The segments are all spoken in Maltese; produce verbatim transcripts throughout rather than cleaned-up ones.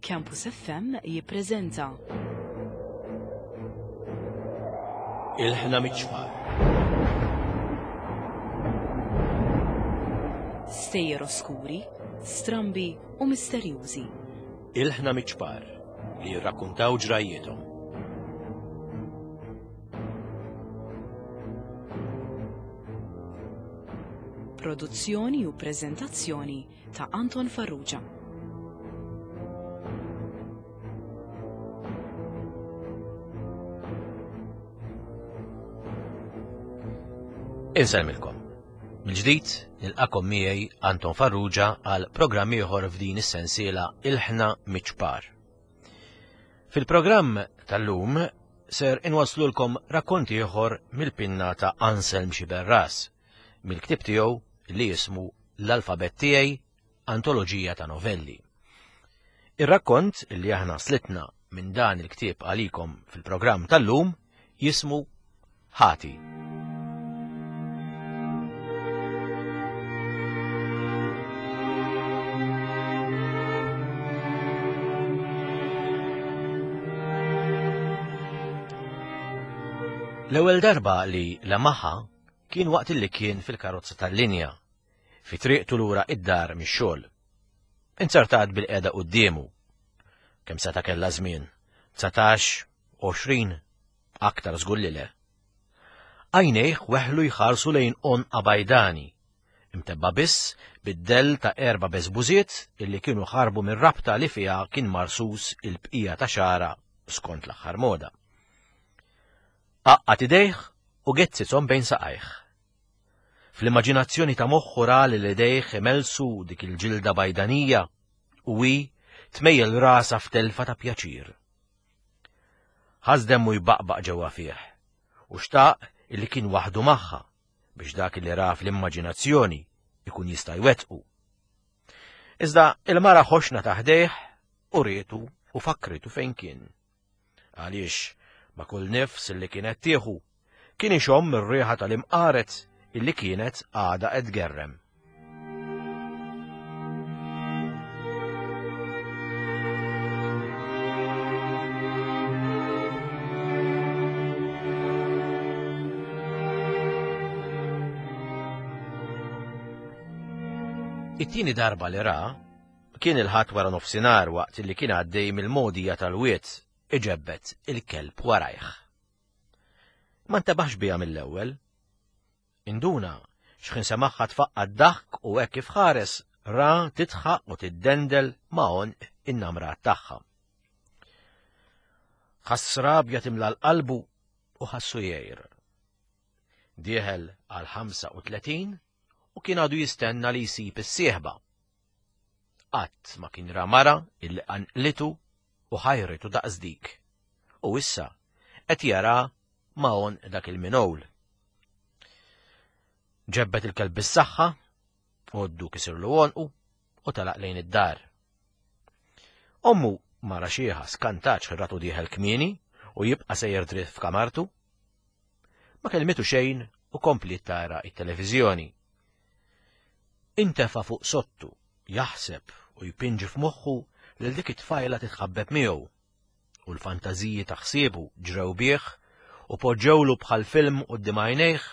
Campus F M jippreżenta Ilħna Miċ-Ċpar. Stejjer oskuri, strambi u misterjużi. Ilħna Miċ-Ċpar li jirrakkuntaw ġrajjiethom. Produzzjoni u preżentazzjoni ta' Anton Farrugia. Insellmilkom. Mill-ġdid nilqakom miegħi Anton Farrugia għal programm ieħor f'din is-sensiela Ilħna Miċ-Ċpar. Fil-programm tal-lum ser inwaslulkom rakkont ieħor mill-pinna ta' Anselm Sciberras, mill-ktieb tiegħu li jismu L-Alfabett Tiegħi, Antoloġija ta' Novelli. Ir-rakkont li aħna slitna minn dan il-ktieb għalikom fil-programm tal-lum jismu Ħati. L-ewwel darba li lemaħa kien waqt li kien fil-karozza tal-linja, fi triqtu lura id-dar mix-xogħol. Inzertat bil-qiegħda quddiemu. Kemm seta' kellha żmien? Dsatax, għoxrin, aktar żgur li le. Għajnejh weħlu jħarsu lejn għonqa bajdani, imtebba biss bid-dell ta' erba' beżbużiet illi kienu ħarbu mir-rabta li fiha kien marsus il-bqija ta' xara skont l-aħħar moda. Għaqqad idejh u gezzithom bejn saqajh. Fl-immaġinazzjoni ta' moħħu ra li l-idejh imelsu dik il-ġilda bajdanija u hi tmejjel rasha f'telfa ta' pjaċir. Ħass demmu jbaqbaq ġewwa fih u xtaq illi kien waħdu magħha biex dak li ra fl-immaġinazzjoni ikun jista' jwettqu. Iżda il-mara ħoxna ta' ħdejh u rietu u fakritu fejn kien. Għaliex ma' kull nifs illi kienet tieħu kien ixomm ir-riħa tal-imqaret illi kienet għadha qed tgerrem. It-tieni darba li ra kien il-Ħadd wara nofsinhar waqt li kien għaddej mill-mogħdija tal-wied iġebbet il-kelb warajh. Ma ntebaħx biha mill-ewwel. Induna x'ħin semaħħa tfaqqa' d-daħk u hekk kif ħares ra tidħaq u tiddendel ma' għonq in-namrat tagħha. Ħass rabja timla l-qalbu u ħassu jgħir. Dieħel għal ħamsa u tletin u kien għadu jistenna li jsib is-sieħba. Qatt ma kien ra mara illi qanqlitu u ħajritu daqs dik. U issa qed jara ma' għonq dak il-minowl. Ġebbet il-kelb bis-saħħa, għoddu kisirlu għonqu u telaq lejn id-dar. Ommu mara xieħa skantat x'ratu dieħel kmieni u jibqa' sejjer dritt f'kamartu. Ma kellmitu xejn u kompliet tara it-televiżjoni. Intefa' fuq sottu, jaħseb u jpinġi f'moħħu lil dik it-tfajla titħabbeb miegħu, u l-fantażiji ta' ħsiebu ġrew bih u poġġewlu bħal film quddiem għajnejh,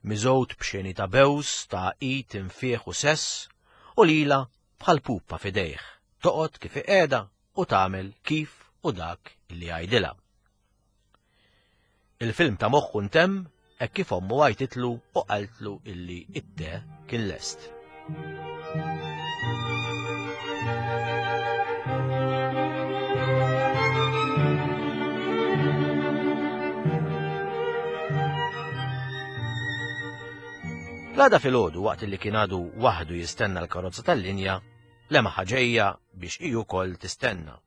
miżgħud b'xeni ta' bews, ta' għaqid, infieħ u sess, u lila bħal pupa f'idejh, toqgħod kif iqiegħda u tagħmel kif u dak li jgħidilha. Il-film ta' moħħu ntemm hekk kif ommu għajtitlu u qaltlu illi it-te kien lest. L-għada filgħodu waqt li kien għadu waħdu jistenna l-karozza tal-linja, lemaħ ġejja biex hi wkoll tistenna.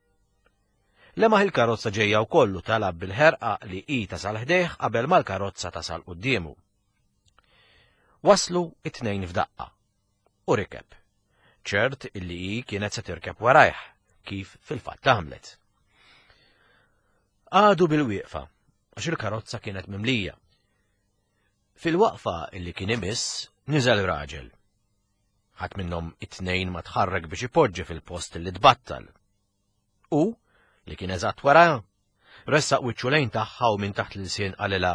Lemaħ il-karozza ġejja wkoll u talab bil-ħerqa li hi tasal ħdejh qabel ma l-karozza tasal quddiemu. Waslu it-tnejn f'daqqa u rikeb. Ċert illi hi kienet se tirkeb warajh, kif fil-fatt għamlet. Għadu bil-wieqfa, għax il-karozza kienet mimlija. Fil-waqfa illi kien imiss, niżel raġel. Ħadd minnhom it-tnejn ma tħarrek biex ipoġġi fil-post li tbattal. U, li kien eżatt wara, ressaq wiċċu lejn tagħha u minn taħt l-ilsien qalilha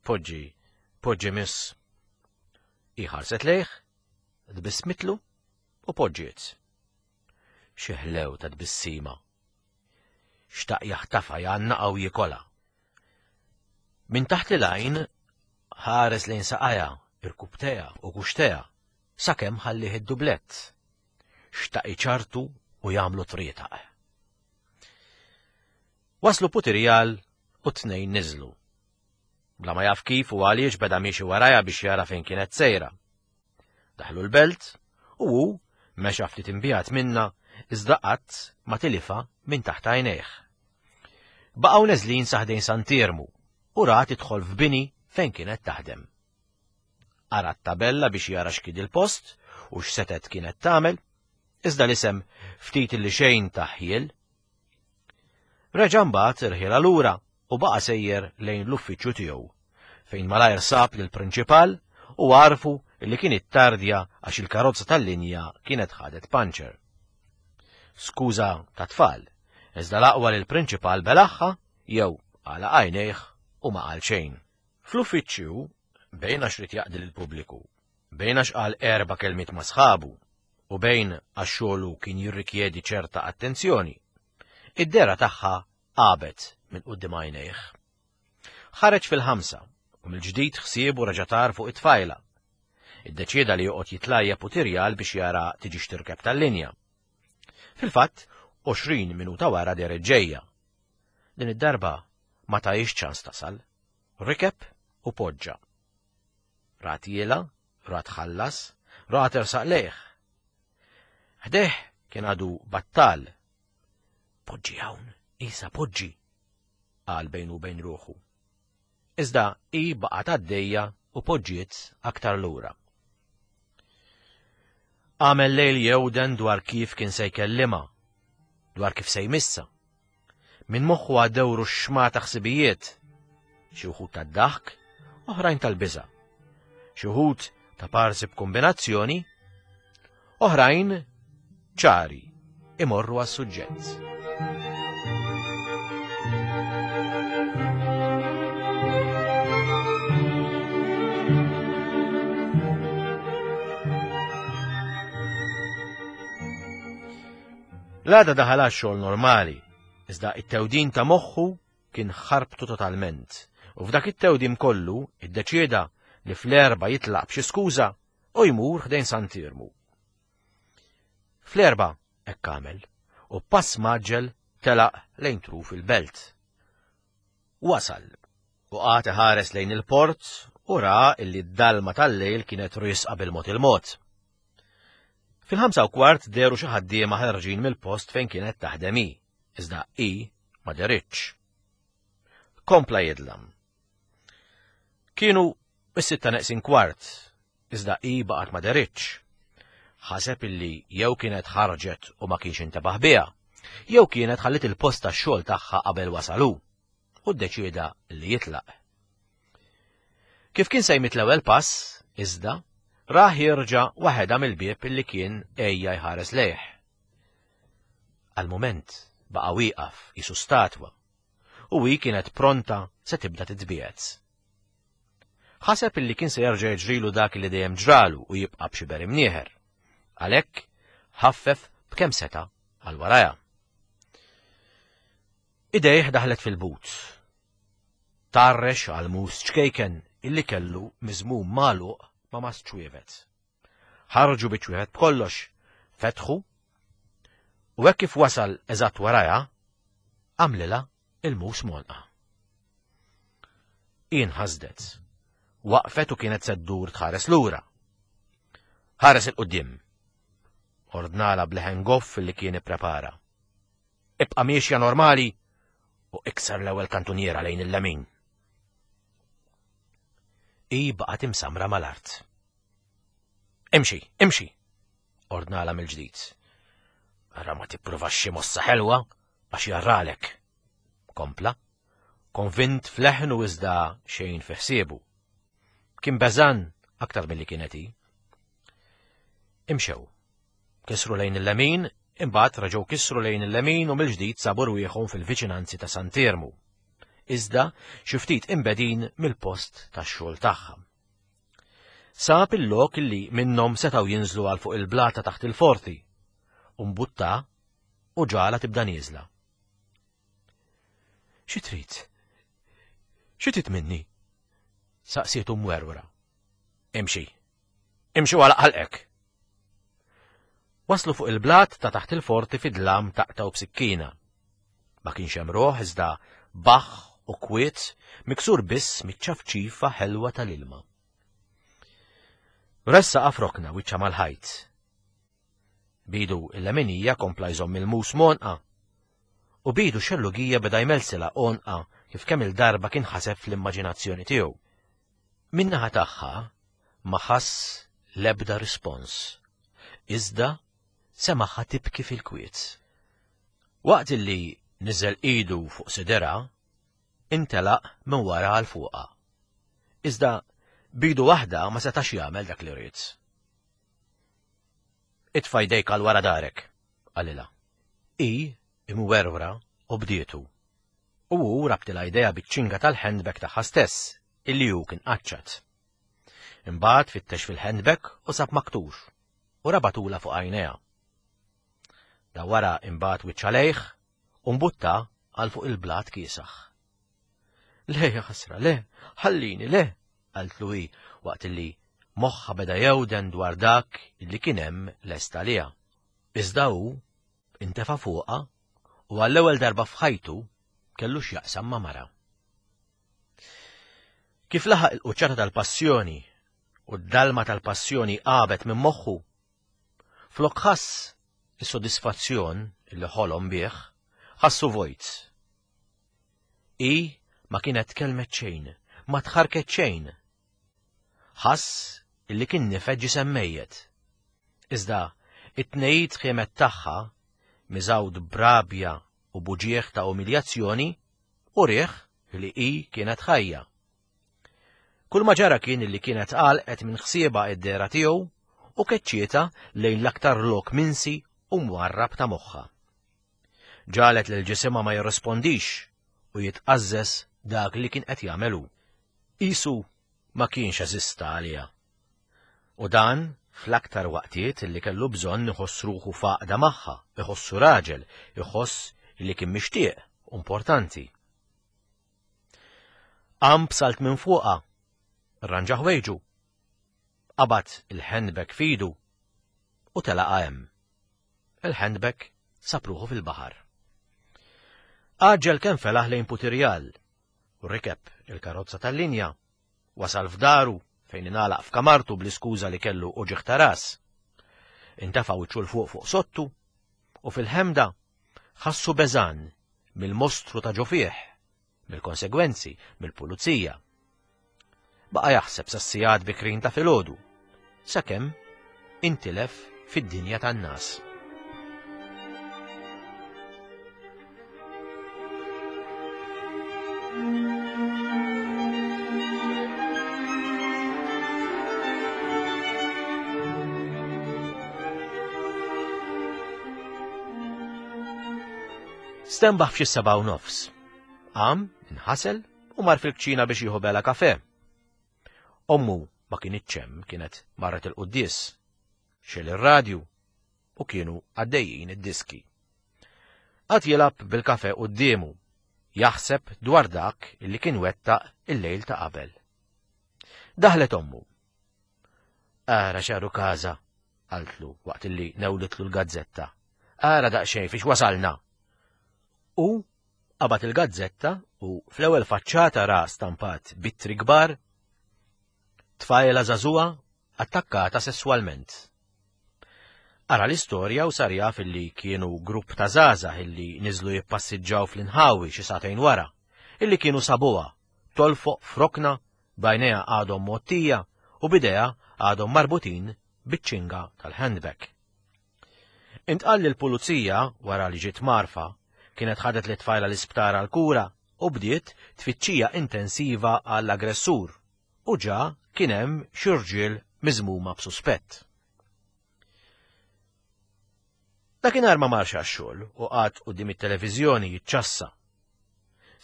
poġġi, poġġi miss. Hi ħarset lejh, tbissmitlu u poġġiet. Xi ħlew ta' tbissima. Xtaq jaħtafa jgħannaqa u jikolha. Minn taħt l-għajn ħares lejn saqajha, irkubteha u kuxteha, sakemm ħallih id-dublett. Xtaq iċartu u jagħmlu trietaq. Waslu Putirjal u t-tnejn niżlu. Bla ma jaf kif u għaliex beda miexi warajha biex jara fejn kienet sejra. Daħlu l-belt u hu mexa ftit imbijat minna iżda qatt ma tilifha minn taħt għajnejh. Baqgħu neżlin sa ħdejn Sant'Iermu u ra tidħol f'bini fejn kienet taħdem. Qara t-tabella biex jara x'kien il-post u x'setet kienet tagħmel, iżda l-isem ftit li xejn taħjel. Reġa' mbagħad irħielha lura u baqa' sejjer lejn l-uffiċċju tiegħu, fejn malajr sab lill-prinċipal u għarfu li kien ittardja għax il-karozza tal-linja kienet ħadet panċer. Skuża ta' tfal, iżda l-aqwa li l-prinċipal belaħħa jew għalaq għajnejh u ma qal xejn. Fl-uffiċċju, bejn għax ried jaqdi lill-pubbliku, bejn għax qal erba' kelmiet ma' sħabu u bejn għax xogħlu kien jirrikjedi ċerta attenzjoni, id-dehra tagħha għabet minn quddiem għajnejh. Ħareġ fil-ħamsa u mill-ġdid ħsiebu reġa' tar fuq it-tfajla. Iddeċieda li joqgħod jitlajja Putirjal biex jara tiġix tirkeb tal-linja. Fil-fatt, għoxrin minuta wara dehret ġejja. Din id-darba ma tahiex ċans tasal. Rikeb u poġġa. Rat jiela, rat ħallas, rat ersaq lejh. Ħdejh kien għadu battal. Poġġi hawn, Isa poġġi, qal bejnu bejn ruħu. Iżda hi baqgħet għaddejja u poġġiet aktar lura. Għamel lejl jewden dwar kif kien se jkellimha, dwar kif se jmissa. Minn moħħu għaddewru xma ta' ħsibijiet, xi wħud tad-daħk, oħrajn tal-biża', xi wħud ta' parsi b'kombinazzjoni, oħrajn ċari imorru għas-suġġett. L-għada daħal għax-xogħol normali, iżda it-tewdin ta' moħħu kien ħarbtu totalment, u f'dak it-tewdim kollu iddeċieda li fl-erba jitlaq b'xi skuża u jmur ħdejn Sant'Iermu. Fl-erba hekk għamel u pass maġġel telaq lejn truf il-belt. Wasal u qagħad iħares lejn il-port u ra illi d-dalma tal-lejl kienet risqa bil-mod il-mod. Fil-ħamsa u kwart dehru xi ħaddiema ħarġin mill-post fejn kienet taħdem hi, iżda hi ma deritx. Kompla jidlam. Kienu is-sitta neqsin kwart, iżda hi baqgħet ma deritx. Ħaseb illi jew kienet ħarġet u ma kienx intebaħ biha, jew kienet ħallit il-post tax-xogħol tagħha qabel wasalu, u ddeċieda li jitlaq. Kif kien se jmit l-ewwel pass, iżda, rah jirġa' waħedha mill-bieb illi kien ejja jħares lejh. Għal-mument baqa' wieqaf qisu statwa, u hi kienet pronta se tibda titbiegħed. Ħaseb illi kien se jerġa' jiġrilu dak li dejjem ġralu u jibqa' b'xi beri mnieħer. Għalhekk ħaffef b'kemm seta' għal warajha. Idejh daħlet fil-but. Tarrex għal mus ċkejken illi kellu miżmum magħluq ma' mas ċwievet. Ħarġu bi ċwievet b'kollox, fetħu, u hekk kif wasal eżatt warajha, għamlilha il-mus monqa. Inħasdet, waqfet u kienet se ddur tħares lura. Ħares il-qudiem. Ordnala bleħen goff li kien ipprepara. Ibqa' miexja normali u ikser l-ewwel kantuniera lejn il-lemin. Hi baqgħet imsamra mal-art. Imxi, imxi, ordnala mill-ġdid. Ara ma tippruvax xi mossa ħelwa għax jarralek. Kompla, konvint f'leħnu iżda xejn fi ħsiebu. Kien beżan aktar milli kienet hi. Imxew, kisru lejn il-lemin Imbagħad reġgħu kisru lejn il-lemin u mill-ġdid sabu rwieħhom fil-viċinanzi ta' Sant'Iermu. Iżda xi ftit imbegħdin mill-post tax-xogħol tagħha. Sab il-lok li minnhom setgħu jinżlu għal fuq il-blata taħt il-forti, u mbutta u ġagħalha tibda nieżla. Xi trid? Xi trid minni? Saqsietu mwerwra. Imxi. Imxi għalaq ħalqek. Waslu fuq il-blat ta' taħt il-forti fid-dlam taqtgħu b'sikkina. Ma kienx hemm ruħ iżda baħħ u kwiet miksur biss miċ-ċafċifa ħelwa tal-ilma. Ressaqha f'rokna wiċċha mal-ħajt. Bidu il-leminija kompla jżomm il-mus m'għonqha u bidu xellugija beda jmelsilha għonqha kif kemm il-darba kien ħaseb fl-immaġinazzjoni tiegħu. Min-naħa tagħha ma ħass l-ebda rispons. Iżda semagħha tibki fil-kwiet. Waqt illi niżel idu fuq sidirha, intelaq minn wara għal fuqha. Iżda bidu waħda ma setax jagħmel dak li ried. Itfa' jdejk għal wara darek, qalilha. Hi imwerwra u bdietu. U hu rabtilha jdejha biċ-ċinga tal-handbag tagħha stess, illi hu kien qaċċat. Imbagħad fittex fil-handbag u sab maktur u rabatulha fuq għajnejha. Da wara imbagħad wiċċha lejh u mbutta għal fuq il-blat kiesaħ. Le, ja ħasra, le, ħallini, le, qaltlu hi waqt illi moħħha beda jewden dwar dak illi kien hemm lest għaliha. Iżda hu intefa' fuqha u għall-ewwel darba f'ħajtu kellu x'jaqsam ma' mara. Kif laħaq il-quċċata tal-passjoni u d-dalma tal-passjoni għabet minn moħħu, flok ħass is-sodisfazzjon illi ħolom bih, ħassu vojt. Hi ma kienet tkellmet xejn, ma tħarket xejn. Ħass illi kien nifed ġisem mejjet. Iżda it-tnejt ħiemet tagħha miżgħud b'rabja u b'uġigħ ta' umiljazzjoni u riħ li hi kienet ħajja. Kull ma ġara kien illi kienet għalqet minn ħsiebha id-dehra tiegħu u keċċietha lejn l-aktar lok minsi u mwarrab ta' moħħha. Ġagħlet lil ġisimha ma jirrispondix u jitqażżes dak li kien qed jagħmel hu. Qisu ma kienx eżista għaliha. U dan fl-aktar waqtiet li kellu bżonn iħoss ruħu f'għaqda magħha, iħossu raġel, iħoss li kien mixtieq, importanti. Qam b'salt minn fuqha, rranġa ħwejġu, qabad il-handbag f'idu u telaqa hemm. Il-handbag sab ruħu fil-baħar. Għaġġel kemm felaħ lejn Putirjal u rikeb il-karozza tal-linja, wasal f'daru fejn ingħalaq f'kamartu bl-iskuża li kellu uġigħ ta' ras. Intefa' wiċċu 'l fuq fuq sottu u fil-ħemda ħassu beżan mill-mostru ta' ġo fih, mill-konsegwenzi, mill-pulizija. Baqa' jaħseb sas-sigħat bikrin ta' filgħodu, sakemm intilef fid-dinja tan-nas. Stenbaħ f'xi sebgħa u nofs. Qam, inħasel u mar fil-kċina biex jieħu bela kafe. Ommu ma kinitx hemm, kienet marret il-quddies. Xegħel ir-radju u kienu għaddejjin id-diski. Qagħad jilgħab bil-kafe quddiemu, jaħseb dwar dak illi kien wettaq il-lejl ta' qabel. Daħlet ommu. Ara xaru kaza, qaltlu waqt illi newlitlu l-gazzetta. Ara daqsxejn fiex wasalna. U qabad il-gazzetta u fl-ewwel faċċata ra stampat b'ittri kbar tfajla żagħżugħa attakkata sesswalment. Qara l-istorja u sar jaf illi kienu grupp ta' żgħażagħ illi niżlu jippassiġġaw fl-inħawi xi sagħtejn wara, illi kienu sabuha tolfoq f'rokna b'għajnejha għadhom mgħottija u b'idejha għadhom marbutin biċ-ċinga tal-handbag. Intqal li l-pulizija wara li ġiet marfa kienet ħadet lit-tfajla l-isptar għal-kura u bdiet tfittxija intensiva għall-aggressur u ġa kien hemm xi rġiel miżmuma b'suspett. Dakinhar ma marx għax-xogħol u qagħad quddiem it-televiżjoni jiċċassa.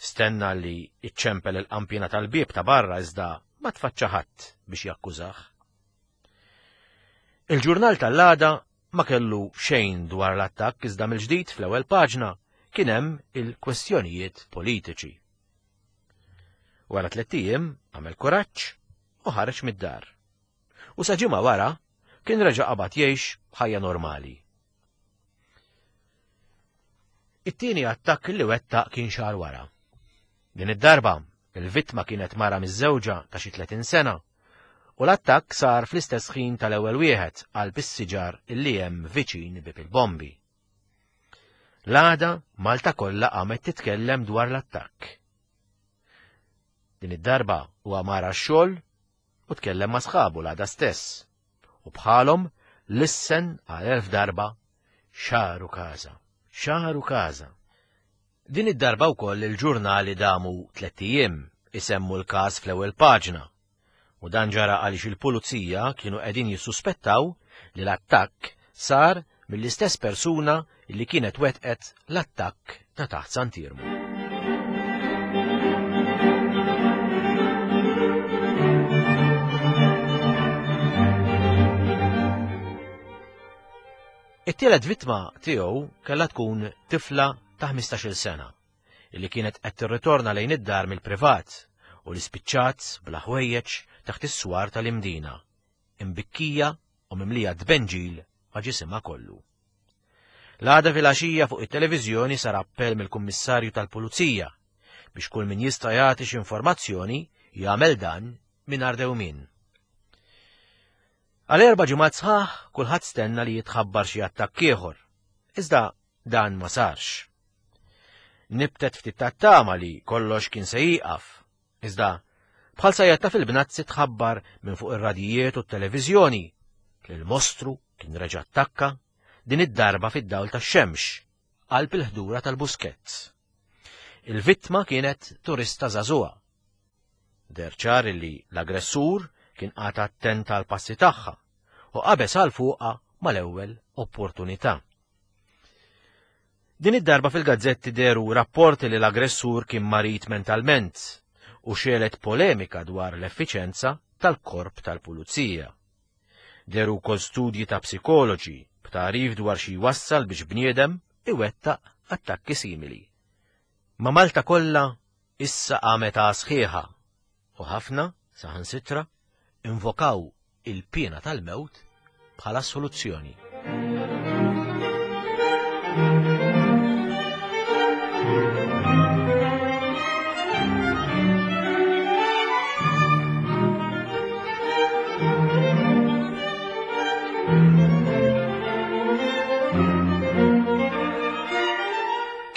Stenna li iċċempel il-qampina tal-bieb ta' barra iżda ma tfaċċa ħadd biex jakkużah. Il-ġurnal tal-għada ma kellu xejn dwar l-attakk iżda mill-ġdid fl-ewwel paġna kien hemm il-kwestjonijiet politiċi. Wara tliet ijiem għamel kuraġġ u ħareġ mid-dar. U sa ġimgħa wara kien reġa' qabad jgħix ħajja normali. It-tieni attakk li wettaq kien xahar wara. Din id-darba, il-vittma kienet mara miżżewġa ta' xi tletin sena u l-attakk sar fl-istess ħin tal-ewwel wieħed qalb is-siġar illi hemm viċin Bieb il-Bombi. L-għada Malta kollha qamet titkellem dwar l-attakk. Din id-darba huwa mar għax-xogħol u tkellem ma' sħabu l-għada stess u bħalhom lissen għal elf darba xaru każa, xaru każa. Din id-darba wkoll il-ġurnali damu tliet ijiem isemmu l-każ fl-ewwel paġna. U dan ġara għaliex il-pulizija kienu qegħdin jissuspettaw li l-attakk sar mill-istess persuna li kienet wettqet l-attakk ta' taħt Sant'Iermu. It-tielet vittma tiegħu kellha tkun tifla ta' ħmistax-il sena illi kienet qed tirritorna lejn id-dar mill-privat u li spiċċat bla ħwejjeġ taħt is-swar tal-Imdina, imbikkija u mimlija tbenġil ma' ġisimha kollu. L-għada filgħaxija fuq it-televiżjoni sar appell mill-Kummissarju tal-Pulizija biex kull min jista' jagħti xi informazzjoni jagħmel dan mingħajr dewmien. Għal erba' ġimgħat sħaħ kulħadd stenna li jitħabbar xi attakk ieħor, iżda dan ma sarx. Nibtet ftit tat-tama li kollox kien se jieqaf, iżda bħal sajjatta fil-bnazzi tħabbar minn fuq ir-radijiet u t-televiżjoni li l-mostru kien reġa' attakka din id-darba fid-dawl tax-xemx qalb il-ħdura tal-Buskett. Il-vittma kienet turista żagħżugħa. Deher ċar li l-aggressur kien qagħad attent għal passi tagħha u qabeż għal fuqha mal-ewwel opportunità. Din id-darba fil-gazzetti dehru rapporti li l-aggressur kien marid mentalment u xelet polemika dwar l-effiċenza tal-korp tal-pulizija. Dehru wkoll studji ta' psikoloġi b'tagħrif dwar xi jwassal biex bniedem iwettaq attakki simili. Ma' Malta kollha issa qamet sħiħa u ħafna saħansitra invokaw il-piena tal-mewt bħala soluzzjoni.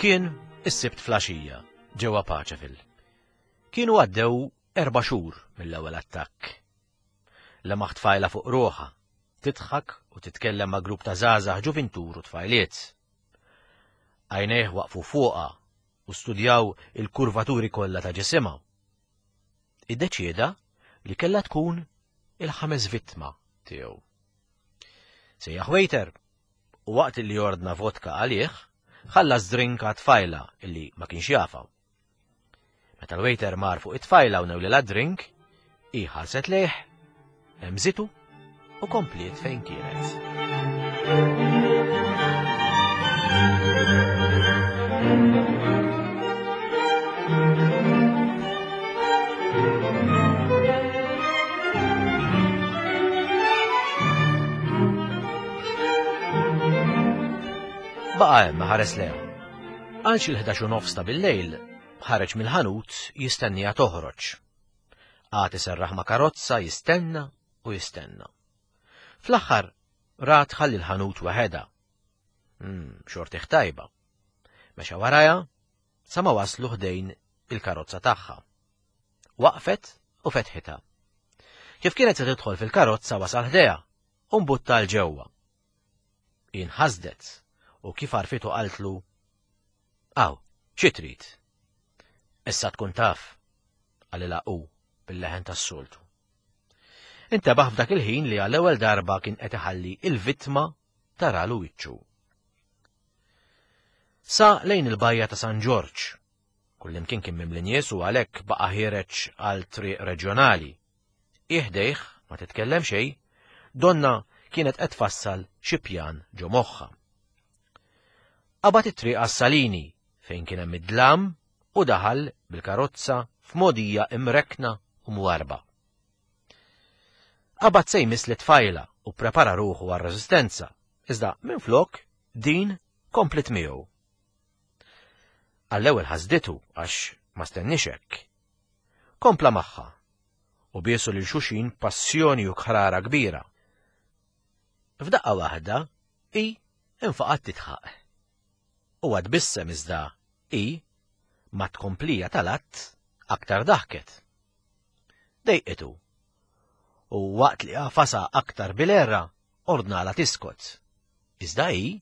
Kien is-Sibt flaxija ġewwa Paċeville. Kienu għaddew erba' xhur mill-ewwel attakk. Lemaħ tfajla fuq ruħha, tidħak u titkellem ma' grupp ta' żgħażagħ ġuvintur u tfajliet. Għajnejh waqfu fuqha u studjaw il-kurvaturi kollha ta' ġisimha. Iddeċieda li kellha tkun il-ħames vittma tiegħu. Sejjaħ waiter u waqt li ordna vodka għalih, ħallas drink għat-tfajla illi ma kienx jafa. Meta l-waiter mar fuq it-tfajla u newlilha drink, hi ħarset lejh, hemżitu u kompliet fejn kienet. Baqa' hemm ħares lejha. Għal xi l-ħdax u nofs ta' bil-lejl, ħareġ mill-ħanut jistennija toħroġ. Qagħad iserraħ ma' karozza jistenna u jistenna. Fl-aħħar rat ħalli l-ħanut waħedha. Mm, xortih tajba. Mexa warajha sa ma waslu ħdejn il-karozza tagħha. Waqfet u fetħitha. Kif kienet se tidħol fil-karozza wasal ħdejha u mbutta l ġewwa. Inħasdet u kif għarfitu qaltlu, "Aw, xi trid?" Issa tkun taf, qalilha hu bil-leħen tas-soltu. Intebaħ f'dak il-ħin li għall-ewwel darba kien qed iħalli il-vittma taralu wiċċu. Sa lejn il-bajja ta' San Ġorġ. Kullimkien kien mimli nies u għalhekk baqa' ħiereġ għal triq reġjonali. Iħdejh, ma titkellem xejn, donna kienet qed tfassal xi pjan ġo moħħha. Qabad it-triq għas-Salini fejn kien hemm id-dlam u daħal bil-karozza f'modija imrekna u mwarba. Qabad se jmiss lit-tfajla u prepara ruħu għar-reżistenza, iżda minflok din komplet miegħu. Għall-ewwel ħasditu għax ma stenniex hekk. Kompla magħha u biesu lil xulxin passjoni u kħrara kbira. F'daqqa waħda hi infaqat titħaq. U tbissem iżda hi ma tkomplija tal-att aktar daħket. Dejqitu. U waqt li għafasa aktar bil-erra ordnala tiskot. Iżda hi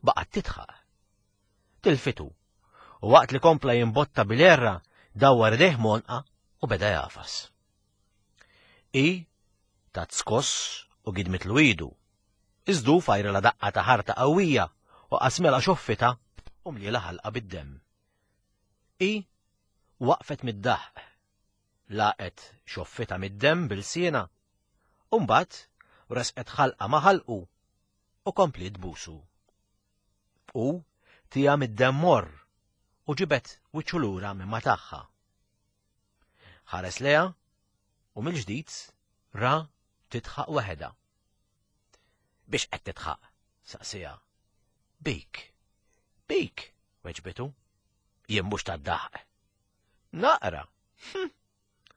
baqgħet titħaq. Tilfitu. U waqt li kompla jimbotta bil-erra dawwar idejh monqa u beda jafas. I tat skoss u gidmitlu idu. Iżdu fajrela daqqa ta' ħarta qawwija u qasmela xoffita u mliela ħalqa bid-demm. I waqfet mid-daħq, laqet xoffita mid-demm bil-siena, u mbagħad resqet ħalqa ma' ħalqu u kompliet busu. U tija mid-demm morr u ġibet wiċċu lura minn ma tagħha. Ħares leha u mill-ġdid ra titħaq waħedha. Biex qed titħaq? Saqsija. Bik. Bik, weġbitu. Jien mhux tad-daħq. Naqra. Hm.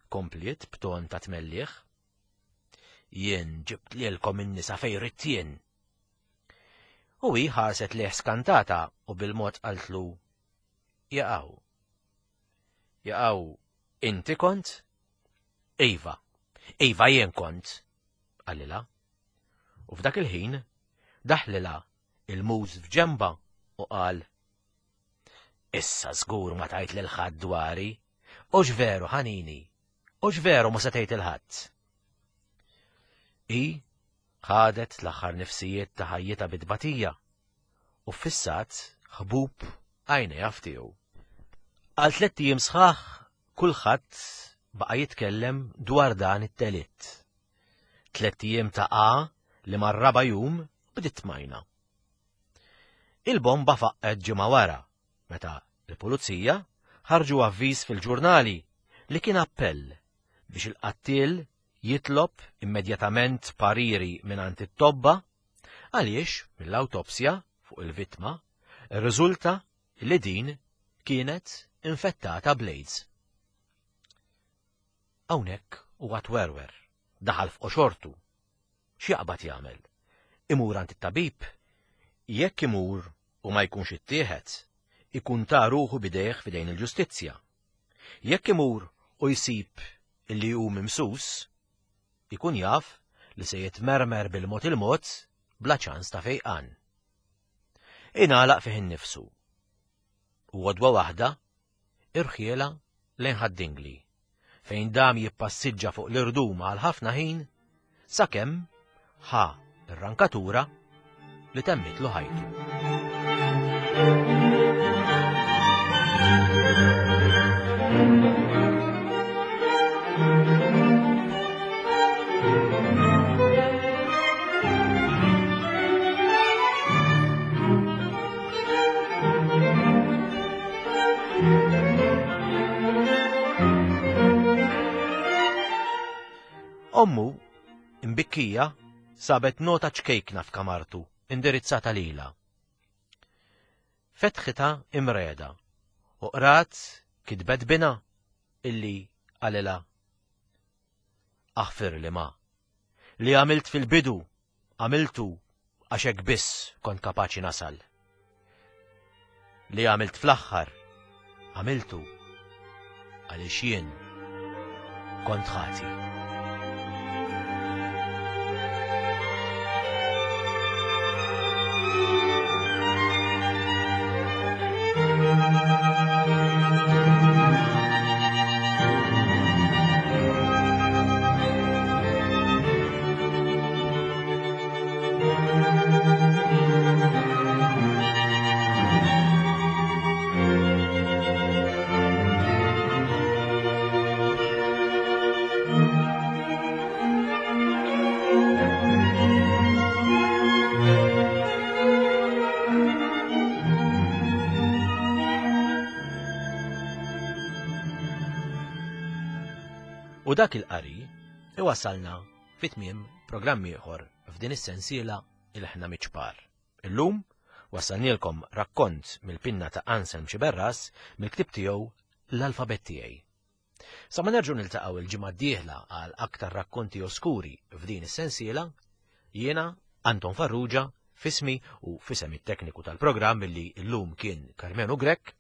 Kompliet b'ton ta' tmelliħ. Jien ġibt lilkom in-nisa fejn ridt jien. U hi ħarset lejh skantata u bil-mod qaltlu jaqaw. Jaqaw, inti kont? Iva, iva jien kont, qalilha. U f'dak il-ħin daħlilha il-muż f'ġemba u qal Issa żgur ma tajt lil ħadd dwari, hux veru ħanini, hux veru ma se tgħid lil ħadd. I ħadet l-aħħar nifsijiet ta' ħajjitha bit-tbatija u ffissat ħbub għajnejha f'tiegħu. Għal tliet ijiem sħaħ kulħadd baqa' jitkellem dwar dan it-telitt. Tliet ijiem ta' A li mar-raba' jum bdiet tmajna. Il-bomba faqqet ġimgħa wara, meta l-pulizija ħarġu avviż fil-ġurnali li kien appell biex il-qattiel jitlob immedjatament pariri mingħand it-tobba għaliex mill-awtopsja fuq il-vittma rriżulta li din kienet infettata bl-AIDS. Hawnhekk huwa twerwer, daħal f'qoxortu. X'jaqbad jagħmel? Imur għand it-tabib? Jekk imur u ma jkunx ittieħed, ikun ta ruħu bidejh f'idejn il-ġustizzja. Jekk imur u jsib illi hu mimsus, ikun jaf li se jitmermer bil-mod il-mod bla ċans ta' fejqan. Ingħalaq fih innifsu. U għodwa waħda irħiela lejn Ħad-Dingli, fejn dam jippassiġġa fuq l-irdum għal ħafna ħin sakemm ħa ir-rankatura li temmitlu ħajtu. Ommu, imbikkija, sabet nota ċkejkna f'kamartu, indirizzata lilha. Fetħitha imreda u qrat kitbet bina illi qalilha Aħfir li ma. Li għamilt fil-bidu, għamiltu għax hekk biss kont kapaċi nasal. Li għamilt fl-aħħar, għamiltu għaliex jien kont ħati. U dak il-qari iwassalna fi tmiem programm ieħor f'din is-sensiela Ilħna Miċ-Ċpar. Illum wassalnielkom rakkont mill-pinna ta' Anselm Sciberras mill-ktieb tiegħu L-Alfabett Tiegħi. Sa ma nerġgħu niltaqgħu il-ġimgħa d-dieħla għal aktar rakkonti oskuri f'din is-sensiela, jiena Anton Farrugia f'ismi u f'isem it-tekniku tal-programm illi llum kien Karmenu Grech,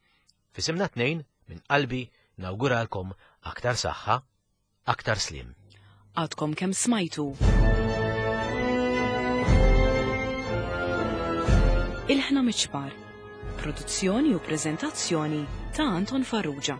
f'isimna tnejn minn qalbi nawguralkom aktar saħħa, aktar sliem. Għadkom kemm smajtu Ilħna Miċ-Ċpar, produzzjoni u preżentazzjoni ta' Anton Farrugia.